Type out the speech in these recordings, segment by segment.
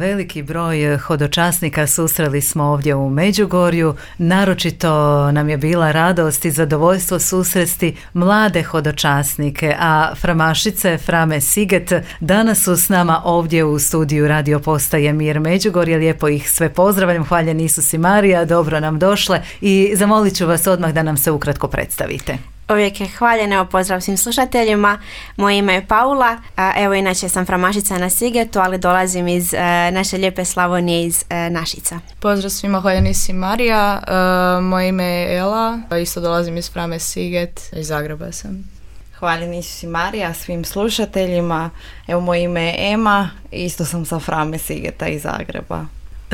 Veliki broj hodočasnika susreli smo ovdje u Međugorju, naročito nam je bila radost i zadovoljstvo susresti mlade hodočasnike, a framašice Frame Siget danas su s nama ovdje u studiju radio postaje Mir Međugorje. Lijepo ih sve pozdravljam, hvaljen Isus i Marija, dobro nam došle i zamolit ću vas odmah da nam se ukratko predstavite. Uvijek je hvaljeno, pozdrav svim slušateljima. Moje ime je Paula, evo inače sam framašica na Sigetu, ali dolazim iz naše lijepe Slavonije, iz Našica. Pozdrav svima, hvaljen Isus Marija, moje ime je Ela, isto dolazim iz Frame Siget, iz Zagreba sam. Hvaljen Isus Marija svim slušateljima, evo moje ime je Ema, isto sam sa Frame Sigeta iz Zagreba.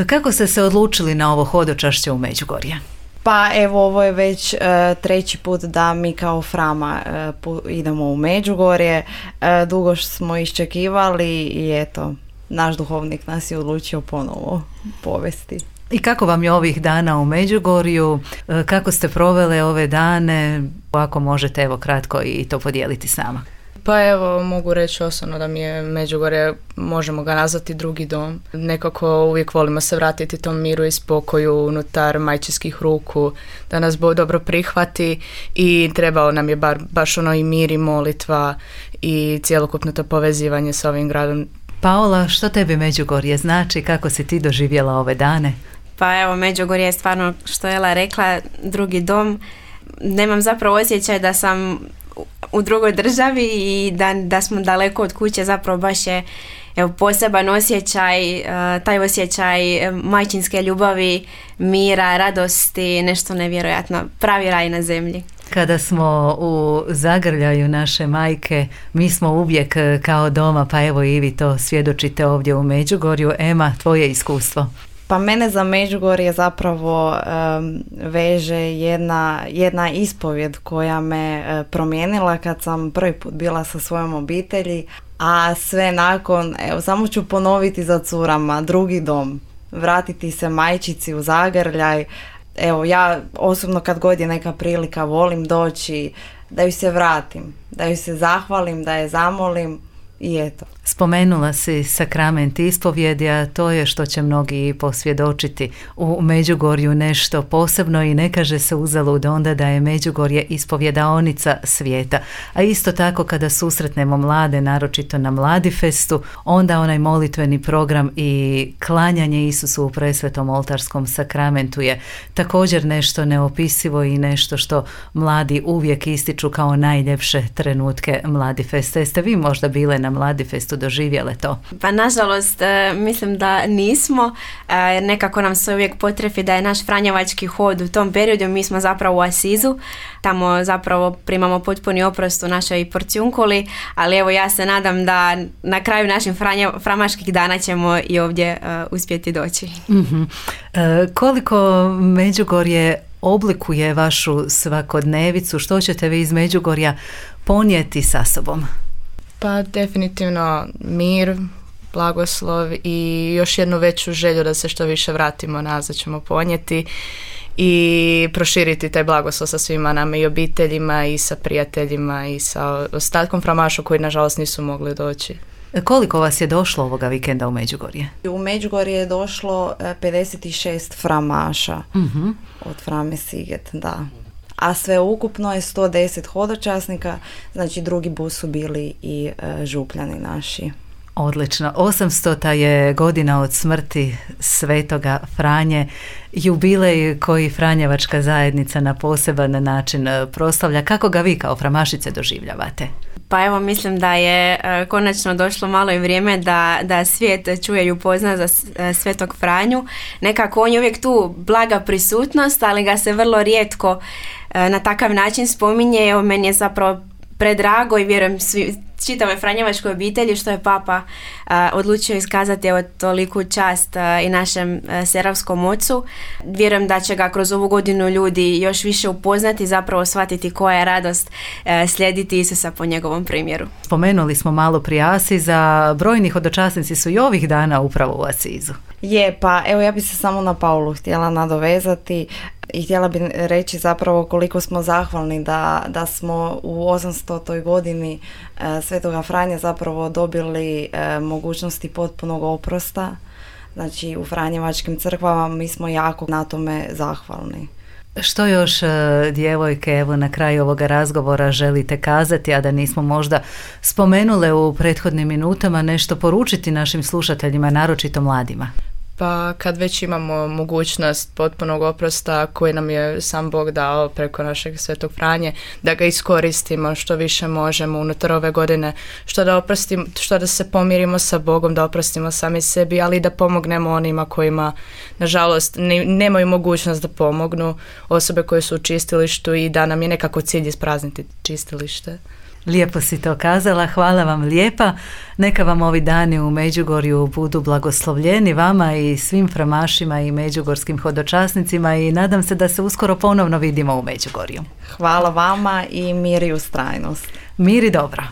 Kako ste se odlučili na ovo hodočašće u Međugorje? Pa evo, ovo je već treći put da mi kao Frama idemo u Međugorje. Dugo smo iščekivali i eto, naš duhovnik nas je odlučio ponovo povesti. I kako vam je ovih dana u Međugorju? Kako ste provele ove dane? Ako možete, evo kratko i to podijeliti s nama. Pa evo, mogu reći osobno da mi je Međugorje, možemo ga nazvati drugi dom. Nekako uvijek volimo se vratiti tom miru i spokoju unutar majčinskih ruku, da nas Bog dobro prihvati i trebao nam je baš ono i mir i molitva i cjelokupno to povezivanje s ovim gradom. Paola, što tebi Međugorje znači? Kako si ti doživjela ove dane? Pa evo, Međugorje je stvarno, što je Ela rekla, drugi dom. Nemam zapravo osjećaj da sam u drugoj državi i da smo daleko od kuće, zapravo baš je poseban osjećaj, taj osjećaj majčinske ljubavi, mira, radosti, nešto nevjerojatno, pravi raj na zemlji. Kada smo u zagrljaju naše majke, mi smo uvijek kao doma, pa evo i vi to svjedočite ovdje u Međugorju. Ema, tvoje iskustvo? Pa mene za Međugorje zapravo veže jedna ispovjed koja me promijenila kad sam prvi put bila sa svojom obitelji, a sve nakon, evo samo ću ponoviti za curama, drugi dom, vratiti se majčici u zagrljaj. Evo, ja osobno kad god je neka prilika volim doći da ju se vratim, da ju se zahvalim, da je zamolim i eto. Spomenula si sakrament ispovjedi, a to je što će mnogi posvjedočiti u Međugorju nešto posebno i ne kaže se uzalud onda da je Međugorje ispovjedaonica svijeta. A isto tako kada susretnemo mlade, naročito na Mladifestu, onda onaj molitveni program i klanjanje Isusu u presvetom oltarskom sakramentu je također nešto neopisivo i nešto što mladi uvijek ističu kao najljepše trenutke Mladifesta. Jeste vi možda bile na Mladifestu, doživjele to? Pa nažalost mislim da nismo, nekako nam se uvijek potrefi da je naš franjevački hod u tom periodu. Mi smo zapravo u Asizu, tamo zapravo primamo potpuni oprost u našoj porcijunkuli, ali evo ja se nadam da na kraju naših framaških dana ćemo i ovdje uspjeti doći. Mm-hmm. Koliko Međugorje oblikuje vašu svakodnevicu? Što ćete vi iz Međugorja ponijeti sa sobom? Pa definitivno mir, blagoslov i još jednu veću želju da se što više vratimo nazad ćemo ponijeti i proširiti taj blagoslov sa svima nama i obiteljima i sa prijateljima i sa ostatkom framaša koji nažalost nisu mogli doći. Koliko vas je došlo ovoga vikenda u Međugorje? U Međugorje je došlo 56 framaša od Frame Siget, da. A sve ukupno je 110 hodočasnika, znači drugi bus su bili i župljani naši. Odlično. 800. je godina od smrti svetoga Franje, jubilej koji Franjevačka zajednica na poseban način proslavlja. Kako ga vi kao framašice doživljavate? Pa evo, mislim da je konačno došlo malo i vrijeme da svijet čuje i upozna za svetog Franju. Nekako on je uvijek tu blaga prisutnost, ali ga se vrlo rijetko na takav način spominje. Evo, meni je zapravo predrago i vjerujem čitave franjevačkoj obitelji što je Papa odlučio iskazati evo toliku čast i našem seravskom ocu. Vjerujem da će ga kroz ovu godinu ljudi još više upoznati, zapravo shvatiti koja je radost slijediti Isusa po njegovom primjeru. Spomenuli smo malo prije Asiza, brojni hodočasnici su i ovih dana upravo u Asizu. Je, pa evo ja bi se samo na Paulu htjela nadovezati i htjela bi reći zapravo koliko smo zahvalni da smo u 800. godini Svetoga Franje zapravo dobili mogućnosti potpunog oprosta, znači u Franjevačkim crkvama, mi smo jako na tome zahvalni. Što još, djevojke, evo na kraju ovoga razgovora želite kazati, a da nismo možda spomenule u prethodnim minutama, nešto poručiti našim slušateljima, naročito mladima? Pa kad već imamo mogućnost potpunog oprosta koji nam je sam Bog dao preko našeg Svetog Franje, da ga iskoristimo što više možemo unutar ove godine, što da se pomirimo sa Bogom, da oprostimo sami sebi, ali da pomognemo onima kojima nažalost nemaju mogućnost da pomognu, osobe koje su u čistilištu, i da nam je nekako cilj isprazniti čistilište. Lijepo si to kazala, hvala vam lijepa. Neka vam ovi dani u Međugorju budu blagoslovljeni, vama i svim framašima i međugorskim hodočasnicima, i nadam se da se uskoro ponovno vidimo u Međugorju. Hvala vama i mir i ustrajnost. Mir i dobro.